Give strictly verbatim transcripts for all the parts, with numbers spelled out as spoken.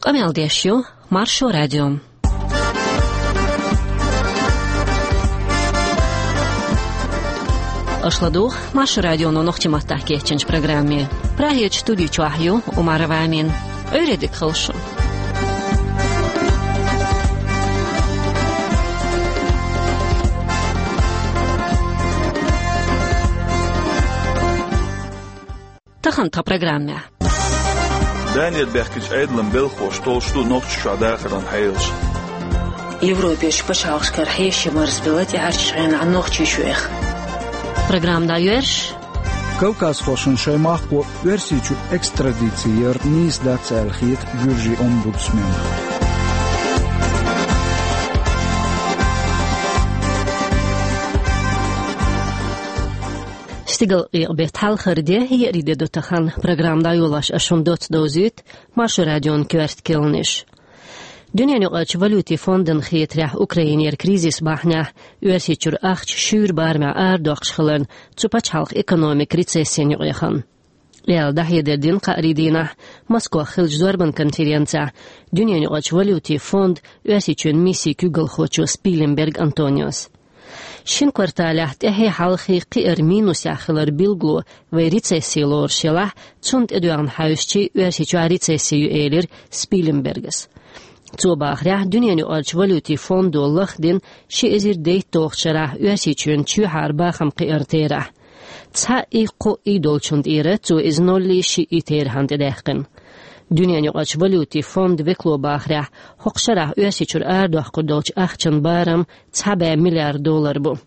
Къамел деш ю Маршо радио. Аша ладугӀу Маршо радионо нохчийн маттахь кечйинчу программе. Прагерчу студи чохь ю Умарова Амина. Ӏуьйре дика хуьлда шун. Тахана тхан программехь. Данера баьхкинчу Ӏедалан белхалоша толлуш ду Нохчийчохь дахаран хьелаш. Европерчу пачхьалкхашкара хьеший марзбелла тӀаьхьарчу хенахь Нохчийчоьнах. Программа дӀайоьрзуш. Кавказхошна шайн махко Оьрсийчу экстрадици яр нийса дац аьлла хета Гуьржийн омбудсмена. Стигалкъекъа-беттан хьалхара де, еарин де ду тахана. Программа дӀайолош ас шуна доцца довзуьйту Маршо радион коьрта кхаьънаш. Дуьненаюкъарчу валютийн фондан хетарехь, Украинера кризис бахьанехь, Оьрсийчуьра ахча шуьйра барамехь арадоккхуш хиларна, цу пачхьалкхан экономика рецессина юкъа яхана. Аьлла дӀахьедар дина кхаарин дийнахь Москвахь хиллачу зорбан конференцехь Дуьненаюкъарчу валютийн фондан Оьрсийчоьнан миссин куьйгалхочо Спилленберг Антониос. Шина кварталехь тӀаьхье-хьалхе кхиар минусехь хилар билгало вай рецесси лоруш елахь, цунна тӀедоьгӀна хьаьвсича, Оьрсийчохь рецесси ю, элира Спилленбергас. Цо бахарехь, Дуьненаюкъарчу валютийн фондо лахдина ши эзар дейтталгӀачу шарахь Оьрсийчоьнан чоьхьара бахам кхиаран терахь. Цхьаъ и, кхоъ и долчунна тӀера цо иза ноллий шиъ и терахьна тӀедаьккхина. Дуьненаюкъарчу валютийн фондан векало бахарехь, хӀокху шарахь Оьрсийчуьра арадоккхур долчу ахчан барам цхьа бӀе миллиард доллар бу.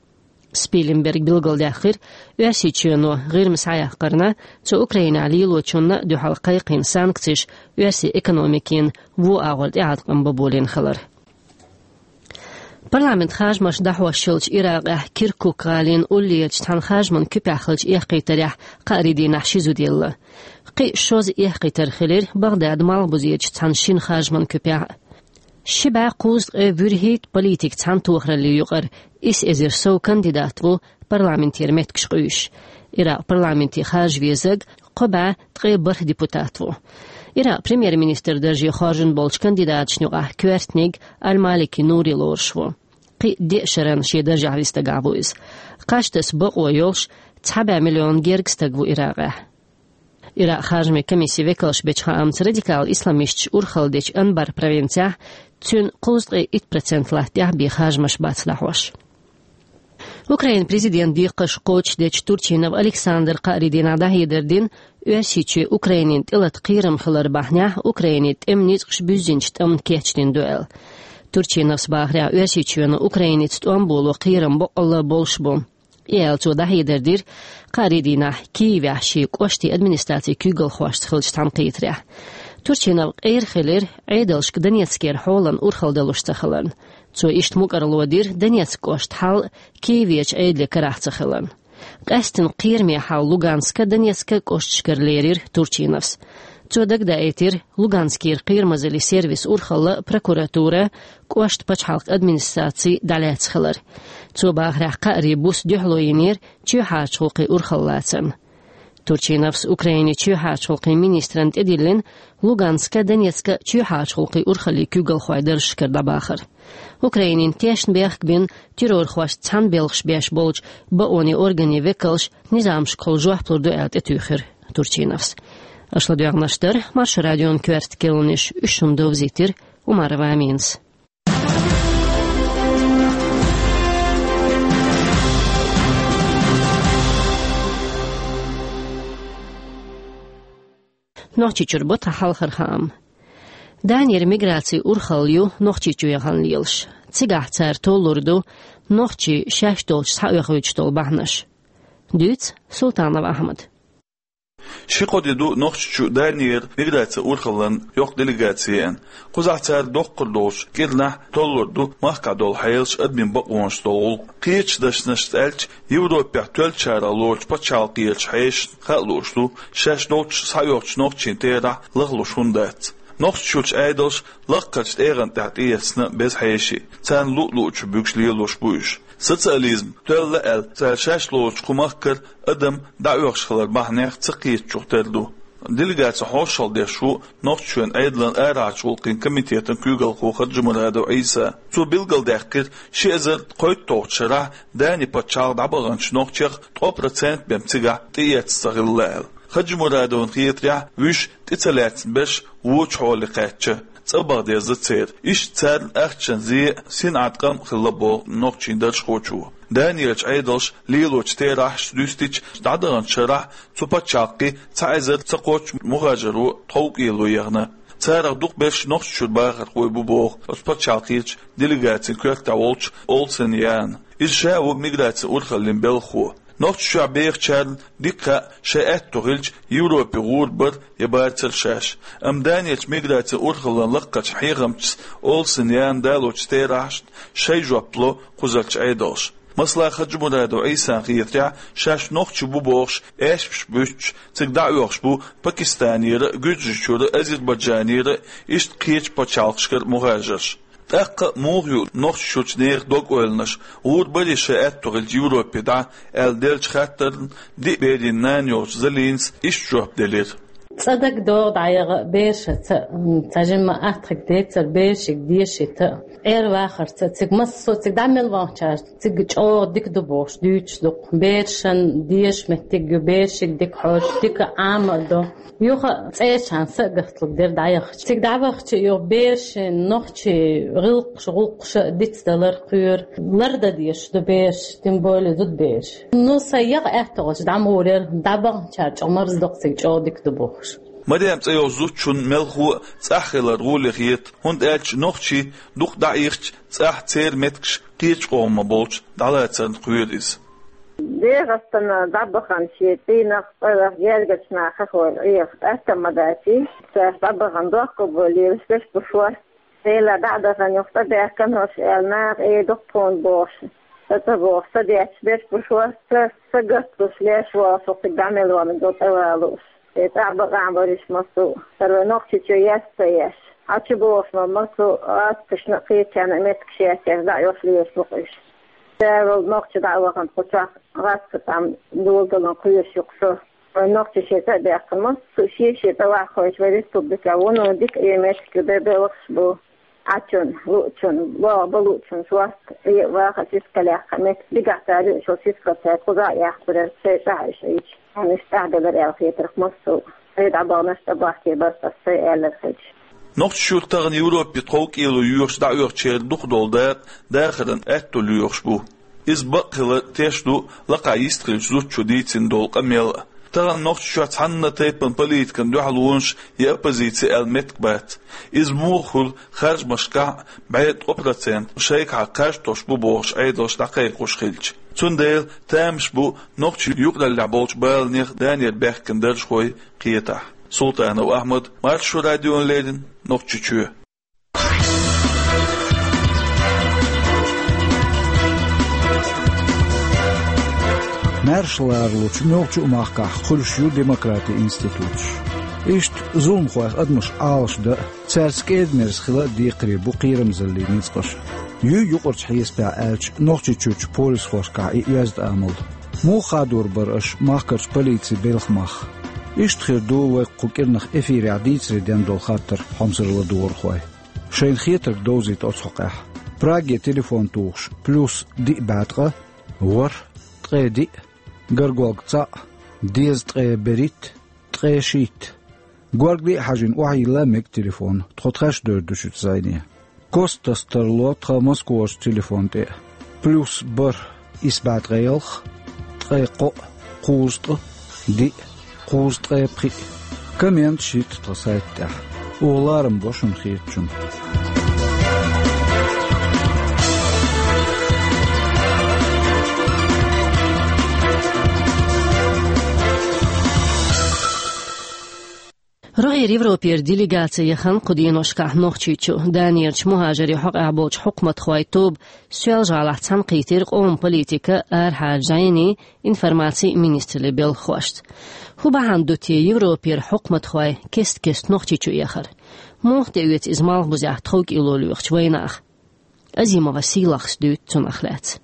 Спилленберга билгалдаьккхира, Оьрсийчоьно ГӀирма схьаяккхарна, цо Украинехь лелочунна а дуьхьал кхайкхийна санкцеш оьрсийн экономикина вон агӀор тӀеӀаткъам бан болийна хилар. Парламентан харжамаш дӀахьош йолчу Иракъехь Киркук гӀалин уллерачу цхьана харжаман куьпехь хиллачу эккхийтарехь кхаарин дийнахь ши зуда елла. Кхин а шозза эккхийтар хилира Багъдадан малхбузерчу цхьана шина харжаман куьпехь. Ши бӀе кхузткъе вуьрхӀитта политик цхьана тохараллин юкъара исс эзар сов кандидат ву парламентера меттигаш къуьйсуш. Иракъан парламенте харжа везарг кхо бӀе ткъе бархӀ депутат ву. Иракъан премьер-министран дарже хоржун болчу кандидаташна юкъахь коьртаниг Аль-Малики Нури лоруш ву. Кхин а деа шарна шен даржехь вист дагахь ву иза. Кхаж таса бакъо йолуш цхьа бӀе миллион герга стаг ву Иракъехь. Иракъан харжамийн комиссин векалша бечу хаамца, радикал исламисташ урхалла дечу Анбар провинцехь цуьнан кхузткъе итт процент латтахь бен харжамаш бац дӀахьош. Украинан президентан декхарш кхочушдечу Турчинов Александра кхаарин дийнахь дӀахьедар дина, Оьрсийчоь Украинина тӀелата кхерам хилар бахьанехь Украинин тӀеман ницкъаша буьззинчу тӀамна кечдина ду аьлла. Турчиновс бахарехь, Оьрсийчоьнан Украиница тӀом боло кхерам боккъалла болуш бу. И аьлла, цо дӀахьедар дира кхаарин дийнахь Киевехь шен кӀоштан администрацин куьйгалхошца хиллачу цхьаьнакхетарехь. Турчинов къера хилира Ӏедалшка Донецкера хьолан урхалла далуш ца хиларна. Цо иштта мукӀарло дира Донецк кӀоштан хьал Киеверчу Ӏедале карахь ца хиларна. Къаьсттина кхераме хьал Луганска, Донецка кӀошташкара лерира Турчиновс. Цо дагадаийтира Луганскера кхерамазаллин сервисан урхалла а, прокуратура а, кӀоштан пачхьалкхан администраци а дӀалаьцна хилар. Цо бахарехь, кхаарин буса дуьхьало йинера чоьхьарчу гӀуллакхийн урхалла лацарна. Турчиновс Украинин чоьхьарчу гӀуллакхийн министрана тӀедиллина Луганска, Донецка чоьхьарчу гӀуллакхийн урхаллин куьйгалхой даржашкара дӀабахар. Украинина тешнабехк бина террорхошца цхьаьна белхаш беш болчу бакъонийн органийн векалш низамашкахула жоп лур ду аьлла тӀетуьйхира Турчиновс. Аша ладоьгӀнарш дара Маршо радион коьрта кхаьънаш, уьш шуна довзийтира Умарова Аминас. Нохчийчуьра бу тхан хьалхара хаам. Данера миграцин урхалла ю Нохчийчу яхана лелаш. Цигахь цара толлур ду нохчий шаьш долчу схьаоьхуьйтуш долу бахьанаш. Дуьйцу Султанов Ахьмада. Ши-кхо де ду Нохчийчу Данера миграцин урхаллин йоккха делегаци еана. Кхузахь цара доккхур долчу кӀирнахь толлур ду махкахь долу хьелаш, адамийн бакъонаш долу гӀуллакх. Кхечу дашнашца аьлча, Европехь тоьллачарах лоручу пачхьалкхерчу хьешашна хаа лууш ду, шаьш долчу схьаоьхучу нохчийн терахь лахлуш хӀунда дац. Нохчийчуьрчу Ӏедалша лакхарчу тӀегӀан тӀехь тӀеэцна беза хьеший, царна луъ-луъчух буьгуш лелош бу уьш. Социализм тоьлла аьлла, цара шаьш лоручу кху махкара адам дӀаоьхуш хилар бахьанех ца кхетачух тера ду. Делегацин хьошалгӀа деш ву Нохчийчоьнан Ӏедалан арахьарчу гӀулакхийн комитетан куьйгалхо Хаджимурадов Ӏийса. Цо билгалдаьккхира, ши эзар ткъоьтталгӀачу шарахь Дани пачхьалкхе дӀабаханчу нохчех ткъо процент бен цигахь тӀеэцна ца хилла аьлла. Хаджимурадовна хетарехь, вуьш тӀе ца лаьцна берш вочу хьоле кхаьчна, цӀа баха деза церан. Иштта царна ахчан зе а, синӀан къам а хилла боху нохчийн даржхочо. Данерчу Ӏедалша лелочу терахьашца дуьстича, дӀадаханчу шарахь цу пачхьалкхе цхьа эзар ца кхоччу мухӀажаро тховкӀело яхна. Царах дукхахберш Нохчийчуьра бахархой бу боху оцу пачхьалкхерчу делегацин коьртехь волчу Олсен Яна. Иза ша ву миграцин урхаллин белхахо. Нохчийчохь бехачарна дика хаьа, шайн аьтто хилча, Европе гӀур бар я бацара шаьш. Амма Данерчу миграцин урхаллин лакхарчу хьехамчас Олсен Яна далочу терахьашна шайн жоп ло кхузарчу Ӏедалша. Масала, Хаджимурадов Ӏийсан хетарехь, шаьш нохчий бу бохуш аьшпаш буьттуш, цига дӀаоьхуш бу Пакистанера а, Гуьржийчуьра а, Азербайджанера а, иштта кхечу пачхьалкхашкара мухӀажарш. ТӀаккха а муха ю Нохчийчуьрчу нехан дог-ойланаш, гӀур барий шайн аьтто хилча Европе дӀа, аьлла деллачу хаттарна диъ берийн нана йолчу Залинас иштта жоп делира. ЦӀа дагадогӀу дӀаяха берашца, м, цхьа жимма аттхиг децара берашка дешийта. Ӏер вахарца, цига массо а цига дӀа мел вахчара, цига чӀогӀа дика ду бохуш, дуьйцуш ду-кх. Берашна дезаш меттиг ю, берашка дика хьожу, дика Ӏама а до. Юха цӀерачарна са а гаталуш дара дӀаяхча. Цига дӀавахча, юха берашна нохчийн гӀиллакхаш, гӀуллакхаш а дицдалар кхоьру. Лардан дезаш ду бераш, тем более зудабераш. Ну, сан яха аьтто хилча, дӀа ма гӀур яра, дӀабаханчара чӀогӀа марздо-кх, цига чӀогӀа дика ду бохуш. Марем цӀе йолчу зудчунна мелхо а цӀахь хилар гӀоле хета, хӀунда аьлча нохчий дукха дӀаихча, цӀахь церан меттигаш кхечу къоман болчу дӀалацарна кхоьру иза. ДегӀастана дӀабахана шен цӀийнах, цӀарах гергарчу нахах хӀора Ӏеха атта ма дац, царах дӀабахана доккха болу лелаш берш бу шорта. Делахь дӀа а дахана юха цӀа даьккхина хӀорш аьлла, наха э дукха тхуна бохуш, сан ца бохуш, сан детташ берш бу шорта, сан гатдуш леш волуш, цига дӀа мел ванна ду тӀе валуш. Э, цӀахь бакъахь бариш массо а, хӀара вай Нохчийчоь еш ца еш. Хьан чу бохуш ма массо а гӀазкхашна а, кхечарна а меттигаш еш, дӀа а йолуш лелаш бу-кх уьш. Цара волу нохчи дӀа а вахана, кху чохь гӀазкхи тӀам доладалан кхоьруш ю-кх со. Вайн нохчий шен цӀа а даьккхина, массо а шен-шен цӀа ваххуьйтуш вайн республикехь вуно дика а меттиг ю, бер-бер вахаш бу. Ӏачун, луучун, богӀу бан луучун шорта, э, ваха сискалехь кхаьмниг, дигахь цара юуш йолу сискал цара кхуза а яьккхира, шайн цӀахь уьш Ӏийча. Хьуна уьш тӀаьхьабелира аьлла хетарх массо а. Шайн дӀабаханаш тӀебахкийна бара аса, сан аьлларг хилча. Нохчийчуьра тахана Европе тховкӀело йоьхуш дӀаоьхучеран дукхахдолу дакъа дахаран аьтто лоьхуш бу. Иза бакъ хилар тешна ду лакхахь йистхиллачу зудчо дийцина долу къамел а. Тахана Нохчийчохь цхьанна тайпана политикан дуьхьалонаш я оппозици аьлла меттиг бац. Иза муха хуьлу харжамашкахь а бӀе ткъо процент шайгахьа кхаж тосуш бу бохуш Ӏедалш дӀакхайкхош хилча. Цундела тамаш бу нохчийн юкъараллехь болчу баланех Данера баьхкина даржхой кхетахь. Султанов Ахьмад, Маршо радиона леррина, Нохчийчоь. Маьрша лоруш йолчу муьлххачу а махкахь хуьлуш ю демократин институташ. Иштта зуламхойх адамаш Ӏалашдан а, цаьрца кӀеда-мерза хила а декхаре бу кхерамзаллин ницкъаш. Юй юкъарчу хьесапехь аьлча, Нохчийчуьрчу полисхошкахь и оьзда амал. Муха хадор бара аша махкарчу полицин белхан мах? Иштта хир ду вай кху кӀирнах эфирехь дийцаре дина долу хаттар, хьомсара ладогӀархой. Шайна хетарг довзийта оцу хьокъехь. Праге телефон тухуш: плюс диъ бӀе ткъа, ворхӀ, ткъе диъ, гаргалга цхьаъ, дезткъе берхӀитта, ткъе шийтта. Горгали а хьажийна охьайилла мега телефон, тхо тхаьш дойр ду шуьца зӀене. Кост тасса тарло тхан Москварчу телефон тӀе: плюс бархӀ, исс бӀе ткъе ялх, ткъе кхоъ, кхузткъа, диъ, кхузткъе пхиъ. Комменташ йитта тхан сайта тӀехь. Оха ларам бо шуна хетачунна. РогӀера Европера делегаци яхана кху деношкахь Нохчийчу. Данерчу мухӀажарийн хьокъехь болчу хьукматхойн тоба Соьлжа-ГӀалахь цхьаьнакхийтира къоман политикан, арахьарчу жайнийн, информацин министраллин белхахошца. ХӀун бахьана ду те Европера хьукматхой кест-кеста Нохчийчу эхар? Муха тӀеоьцу иза малхбузехь тховкӀело лоьхучу вайнаха? Азимова Сийлахас дуьйцу цунах лаьцна.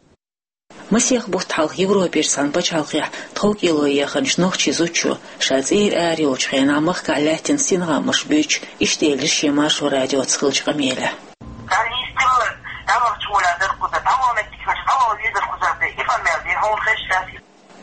Масех бутт хьалха Европерчу цхьана пачхьалкхехь тховкӀело еханчу нохчийн зудчо, ша цӀера ара йолчу хенахь махкахь лаьттина стенгӀамаш буьйцуш, иштта элира шен Маршо радиоца хиллачу къамелехь. Царна йистелларг дӀавахча гӀолехь дара кхуза, дӀавахана меттиг хилча, дӀаваха везара кхуза бен, и къамел дина хьуна хезча.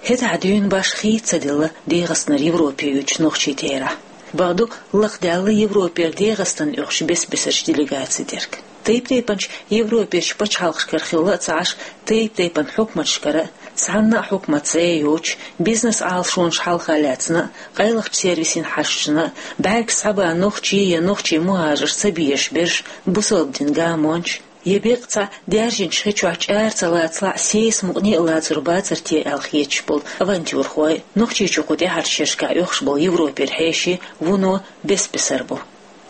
ХӀетахь дуьйна башха хийца ца делла ДегӀастанара Европе уьдучу нохчийн терахь. Бакъду, лакхадаьлла Европера ДегӀастанна оьхучу бес-бесарчу делегацийн дерг. Тайп-тайпанчу Европерчу пачхьалкхашкара хилла а ца Ӏаш, тайп-тайпана хьукматашкара а, цхьанна а хьукмат зӀе йоцуш, бизнес Ӏалашонаш хьалха лаьцна а, къайлахчу сервисийн хьашташна а, бӀаьргаш схьабан нохчий я нохчийн мухӀажарш ца безаш берш, бусалба дин гамончаш, я беккъа цхьа даьржинчу хи чохь чӀара ца лацалахь, сесамукъане а лацар бацар те аьлла хеташ болу авантюрхой, Нохчийчу кху тӀаьхьарчу шерашкахь оьхуш болу Европера хьеший вуно бес-бесар бу.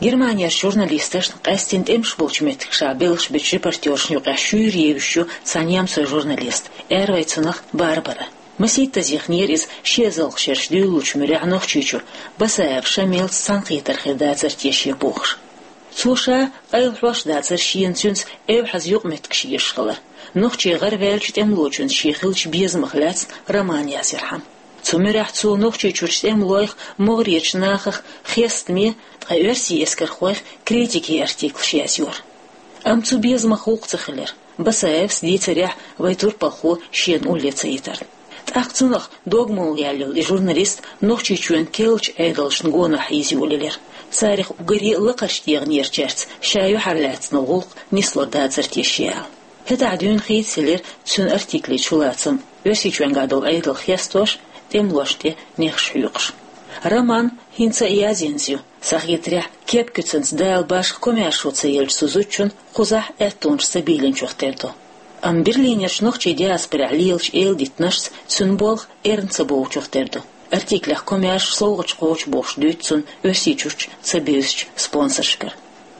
Германерчу журналисташна, къаьсттина тӀемаш болчу меттигашкахь белхаш бечу репортёршна юкъахь шуьйра евзаш ю цхьа немцойн журналист, аьрру цунах Барбара. Масийттаза яханера иза ши эзарлагӀа шераш дуьйлалучу муьрехь Нохчийчу, Басаев Шамилца цхьаьнакхетар хир дацара те шен бохуш. Цо ша къайлахьош дацара шена цуьнца эвхьаза юкъаметтигаш езаш хилар, нохчийн гӀараваьллачу тӀемалочуьнца шен хиллачу безамах лаьцна роман язъярхьама. Цу муьрехь цо Нохчийчуьрчу тӀемалойх, могӀарерчу нахах хестаме, ткъа оьрсийн эскархойх критикин артиклаш язйора. Амма цу безамах гӀуллакх ца хилира. Басаевс дийцарехь, вайн турпалхо шена улле ца йитарна. ТӀаккха цунах дог молла яьлла йолу и журналист Нохчийчоьнан керлачу Ӏедалшна гонах хьийза йолаелира. Царах уггаре а лакхарчу дегӀанерачаьрца ша юьхьарлаьцна гӀуллакх нислур дацара те шен аьлла. ХӀетахь дуьйна хийцаелира цуьнан артиклийн чулацам, Оьрсийчоьнгахь долу Ӏедал хестош, тӀемалошна тӀе нехаш хьоькхуш. Роман хӀинца а язйинза ю. Сан хетарехь, кеп-куьцанца Дала башха комаьршо ца еллачу цу зудчун кхузахь аьттонаш ца бийлинчух тера ду. Амма Берлинерчу нохчийн диаспорехь лелачу эладитанашца цуьнан болх эрна ца бовлучух тера ду. Артиклех комаьрша совгӀаташ кхочу бохуш дуьйцу цунна Оьрсийчуьрчу ца буьйсучу спонсоршкара.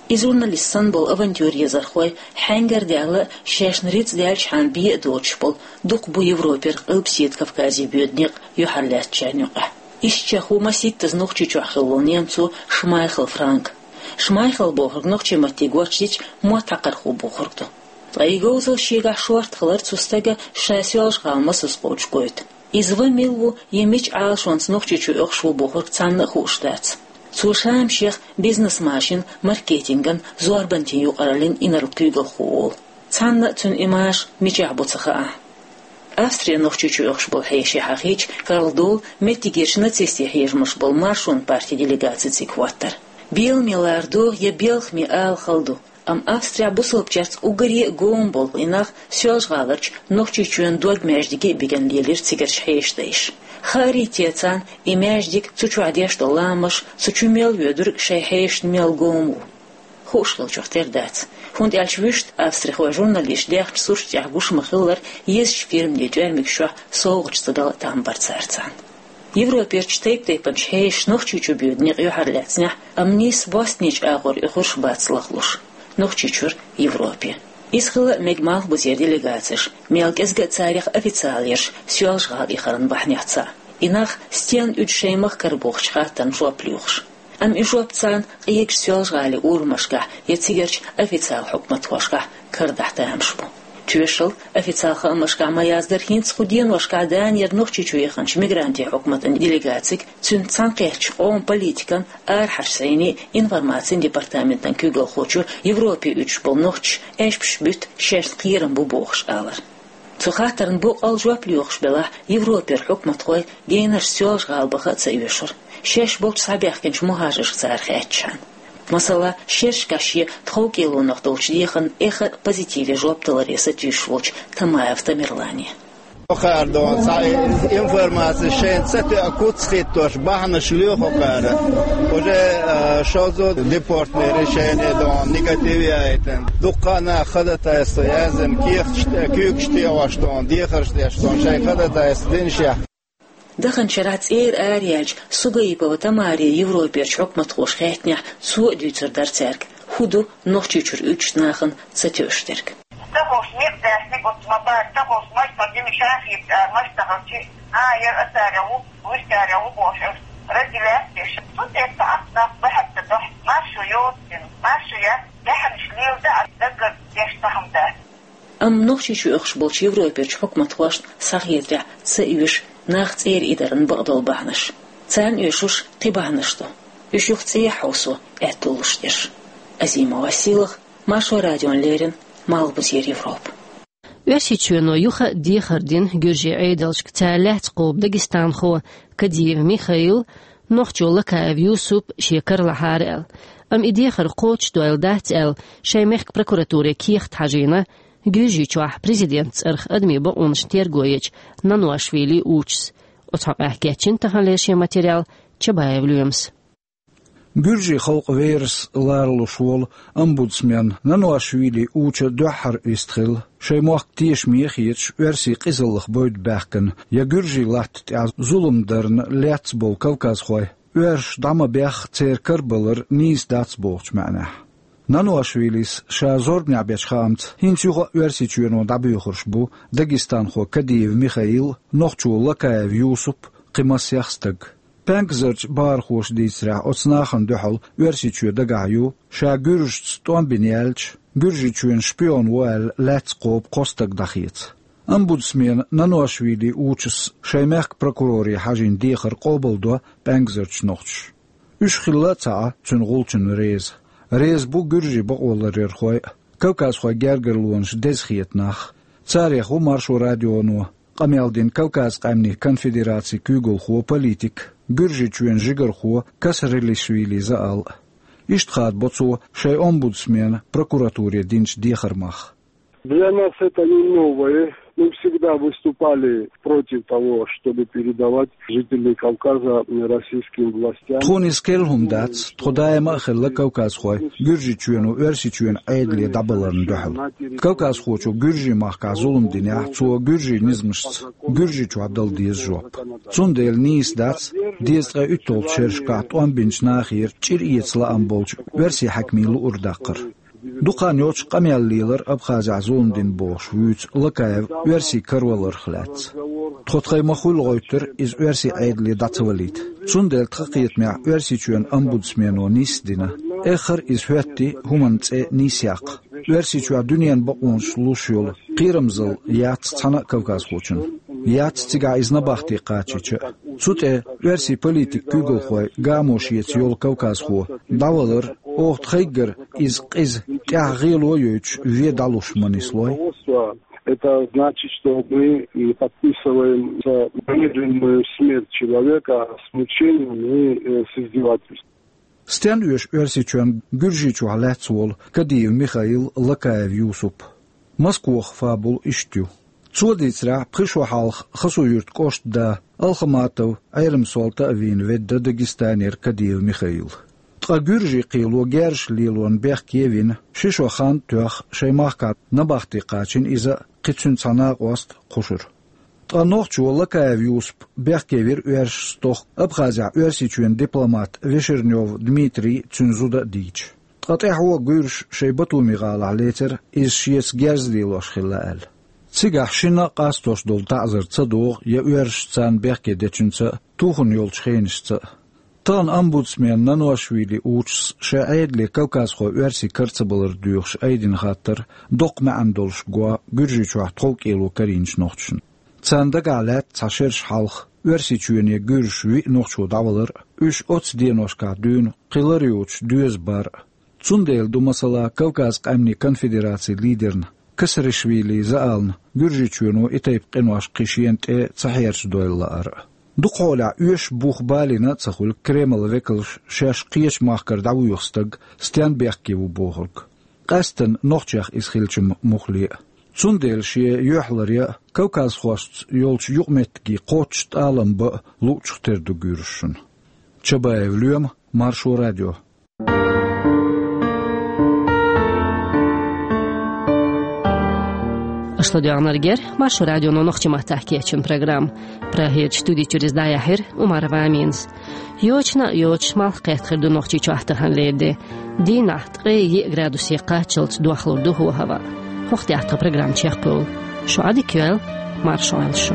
И журналист санна болу авантюран езархой хьаьнгара а даьлла, шайшна рицкъ даьллачхьана бен а доцуш болу, дукха бу Европера, Къилбаседа Кавказе боьду некъ юьхьарлаьцначарна юкъахь. Ишттачех ву масийттаза Нохчийчохь хилла волу немцо Шмайхл Франк. Шмайхл бохург нохчийн матте гочдича, мотт хьакхархо бохург ду. Ткъа и говзалла шегахь шорта хилар цу стага ша Соьлжа-ГӀала масаза кхочуш гойту. Иза ван мила ву я мича Ӏалашонца Нохчийчу оьхуш ву бохург цхьанна а хууш дац. Цо Шамашех бизнес-машин, маркетинган, зорбанан юкъараллин инарла куьйгалхо волу. Цхьанна а цуьнан и маша мичахь бу ца хаахь. Австре Нохчийчу оьхуш болу хьеший хьахийча, карладовла меттигерчу нацистийн хьежамаш болу Маршонан партин делегаци цига хӀоттара. Беламе лардо я белхаме ала хала ду, амма Австрехь бусалбачаьрца уггаре а гома болу и нах Соьлжа-ГӀаларчу Нохчийчоьнан дог-маьждиге а бигна лелира цигарчу хьешан дайша. Хаарий те царна и маьждиг, цу чохь деш долу ламазаш, цу чу мел воьдург шайн хьешашна мел гома ву? Хууш хиллачух тера дац, хӀунда аьлча вуьшта австрихойн журналисташ даьхначу сурташ тӀехь гуш ма-хиллара, езачу фирманийн тӀоьрмигаш чохь совгӀаташ ца дала а там бара цара царна. Европерчу тайп-тайпанчу хьешаша Нохчийчу боьду некъ юьхьарлаьцнехь, амма нийсса бостонерчу агӀор оьхурш бац лахлуш Нохчийчуьра Европе. Иза хила а мега Малхбузера делегацеша, мел кӀезга а царах официалерш Соьлжа-ГӀала ихаран бахьанехь цхьаъ. И нах стенна уьду шайн махкара бохучу хаттарна жоп лоьхуш. Амма и жоп царна къегаш Соьлжа-ГӀалин урамашкахь я цигарчу официал хьукматхошкахь карадахь тамаш бу. Тоьшалла, официал хаамашкахь ма-яздара, хӀинца кху деношкахь Данера Нохчийчу яханчу мигрантийн хьукматан делегацига, цуьнца цхьаьнакхеттачу къоман политикан, арахьарчу зӀенийн, информацин департаментан куьйгалхочо Европе уьдуш болу нохчаша аьшпаш буьту шайна кхерам бу бохуш алар. Цу хаттарна боккъал жоп лоьхуш белахь, Европера хьукматхой генарш Соьлжа-ГӀала баха а ца оьшура, шаьш болчу схьабаьхкинчу мухӀажаршка цара хаьттичхьана. Масала, шерашкахь шен тховкӀелонах долчу дехарна эххар а позитиве жоп даларе сатуьйсуш волчу Тамаев Тамерлане. Кхара дона цхьа информаци шайна ца тоьа куц хӀиттош бахьанаш лоьху кхара. Уже, а, шозза депортное решение дона негатив яйтина. Дуккха а наха ходатайство яздина, кехаташ, куьйгаш тоьуш дона, дехарш деш дона, шайн ходатайство динашехь. Даханчу шарахь цӀера араяьллачу Сугаипова Тамаре Европерчу хьукматхоша хаьттинехь, цо а дуьйцур дара цаьрга, хӀун ду Нохчийчуьра уьдучу нахана ца тоьуш дерг. Ца хууш некъ даьхни гуц ма бара, ца хууш маштан дина шахийта ара маштан хилчи, а, яра ацара ву, вуьшкара ву бохуш, разделять деш. Цу тӀе цхьа а нах бахьа ца дохьу, маршо йоцу дина, маршо яц, баьхьанаш леладаьа даггара деш цхьа хӀума дац. Амма Нохчийчу оьхуш болчу Европерчу хьукматхошна схьахетарехь, ца оьшу нах цӀера идаран бакъдолу бахьанаш. Царна оьшуш кхин бахьанаш ду. Уьш юха цӀехьа хьовсо аьтто луш дерш. Азимова Сийлаха, Маршо радиона леррина, Малхбузера Европа. Оьрсийчоьно юха а дехар дина гуьржийн Ӏедалшка, цара лаьцна кхобу дагестанхо Кадиев Михаил, нохчо Лакаев Юсуп шен кара лахьара аьлла. Амма и дехар кхочушдойла дац аьлла, шайн мехкан прокуратуре кехат хьажийна Гуьржийчохь президентан цӀарах адамийн бакъонаш терго ечу Нануашвили Учас. Оцу хьокъехь кечйина таханлера шен материал Чабаев Лоьмас. Гуьржийн халкъан верас ларалуш волу омбудсмен Нануашвили Уча дуьххьара вистхилла, шайн мохк тешаме хеташ, оьрсийн къизаллах бевдда баьхкина я гуьржийн латта тӀехь зулам дарна лаьцна болу кавказхой, оьрсаша дӀа ма бехха церан карабалар нийса дац бохучу маьӀнехь. Нануашвилис ша зорбанехь бечу хаамца, хӀинца юха а Оьрсийчоьно дӀабоьхурш бу дагестанхо Кадиев Михаил, нохчо Лакаев Юсуп, кхин массех стаг. Пенкзарчу бахархоша дийцарехь, оцу нахана дуьхьал Оьрсийчоь дагахь ю, ша гуьржашца тӀом бина яьлча, Гуьржийчоьнан шпион ву аьлла, лаьцна кхобу кхо стаг дӀахеца. Омбудсмена Нануашвили Учас шайн мехкан прокуроре хьажийна дехар къобалдо пенкзарчу нохчаша. Уьш хилла а ца Ӏа цуьнан гӀулчунна реза. Реза бу гуьржийн бакъоларъярхой а, кавказхойн гергарлонаш деза хета нах. Царех ву Маршо радионо къамел дина Кавказан къаьмнийн конфедерацин куьйгалхо, политик, Гуьржийчоьнан жигархо Касрилишвили Заал. Иштта хадабо цо шайн омбудсмена прокуратуре динчу дехаран мах. Для нас это не новое. Мы всегда выступали против того, чтобы передавать жителей Кавказа российским властям. Тхуна иза керла хӀума дац, тхо даима а хилла кавказхой Гуьржийчоьно Оьрсийчоьнан Ӏедале дӀабаларна дуьхьал. Кавказхочо гуьржийн махкахь зулам динехь, цо гуьржийн низамашца Гуьржийчохь дала деза жоп. Цундела нийса дац, дезткъе уьтталгӀачу шерашкахь тӀом бинчу нахера чӀир эца лаам болчу оьрсийн хьаькамийн луург даккхар. Дукха хан йоццуш къамел лелара Абхазехь зулам дина бохуш вуьйцу Лакаев оьрсийн караваларх лаьцна. Тхо тхайн ма-хуьллу гӀевттира иза оьрсийн Ӏедале дӀа ца валийта. Цундела тхан кхетамехь Оьрсийчоьнан омбудсмено нийса дина. Эххар а иза хӀоьттий хӀуманан цӀе нийса яккха. Оьрсийчохь дуьненан бакъонаш луш йолу кхерамзалла яц цхьана а кавказхочун. Яц цигахь иза набахте кхачийча а. Цу тӀе оьрсийн политикан куьйгалхой гамо шеца йолу кавказхо дӀавалар, оха тхайггара иза къиза, тӀехь гӀело а йойтуш, вен дӀалуш ма нислой. Это значит, что мы и подписываем за немедленную смерть человека с мучением и, э, с издевательством. Стенна оьшу Оьрсийчоьнан Гуьржийчохь лаьцна волу Кадиев Михаил, Лакаев Юсуп? Москвахь фабула иштта ю. Цо дийцарехь, пхи шо хьалха Хасавюртан кӀоштан да Алхаматов Ӏелам-Солта а вийна ведда Дагестанера Кадиев Михаил. Ткъа гуьржийн кхело герзаш лелорна бехке вина, ши шо хан а тоьхна, шайн махкахь набахте кхачийна иза а, кхин цуьнан цхьа накъост а кхушара. Ткъа нохчо Лакаев Юсуп бехке вира оьрсашца тоххара Абхазехь Оьрсийчоьнан дипломат Вешернёв Дмитрий а, цуьнан зуда а дийча. Ткъа тӀаьхьо гуьржаша шайн Батуми-гӀалахь лецира, иза шеца герз лелош хилла аьлла. Цигахь шинна а къастош долу таӀзар ца догӀу я оьрсаша царна бехке дечуьнца а, тухарна йолчу хенашца а. Тахана омбудсмен Нануашвили Учас шайн Ӏедале кавказхой оьрсийн кара ца балар доьхуш айдина хаттар доккха маьӀна долуш го Гуьржийчохь тховкӀело карийначу нохчашна. Царна дагахь лаьтта цхьа шераш хьалха Оьрсийчоьне гуьржаша виъ нохчо дӀавалар а, уьш оццу деношкахь дуьйна кхин лар йоцуш доьза бар а. Цундела ду, масала, Кавказан къаьмнийн конфедерацин лидерна Касришвили Заална Гуьржийчоьно и тайпа къинош кхин шена тӀе ца хьерчадойла лаар а. Дукха хьолехь оьшуш бух балийна а ца хуьлу Кремлан векалша шаьш кхечу махкара дӀавоьху стаг стенна бехке ву бохург. Къаьсттина нохчех иза хилча-м муххале а. Цундела шен юьхьларъян а, кавказхошца йолчу юкъаметтигийн кхоччуш тӀалам бан а луучух тера ду гуьржашна. Чабаев Лоьма, Маршо радио. Аша ладоьгӀнарг яра Маршо радионо нохчийн маттахь кечйина программа. Прагерчу студи чуьра иза дӀаяьхьира Умарова Аминас. Йочана а йоцуш, малх кхетта хир ду Нохчийчохь таханлера де. Дийнахь ткъе еа градусе кхаччалц дохлур ду хӀаваъ. ХӀокху тӀехь тхан программа чекхйолу. Шу Ӏадика йойла, марша Ӏойла шу.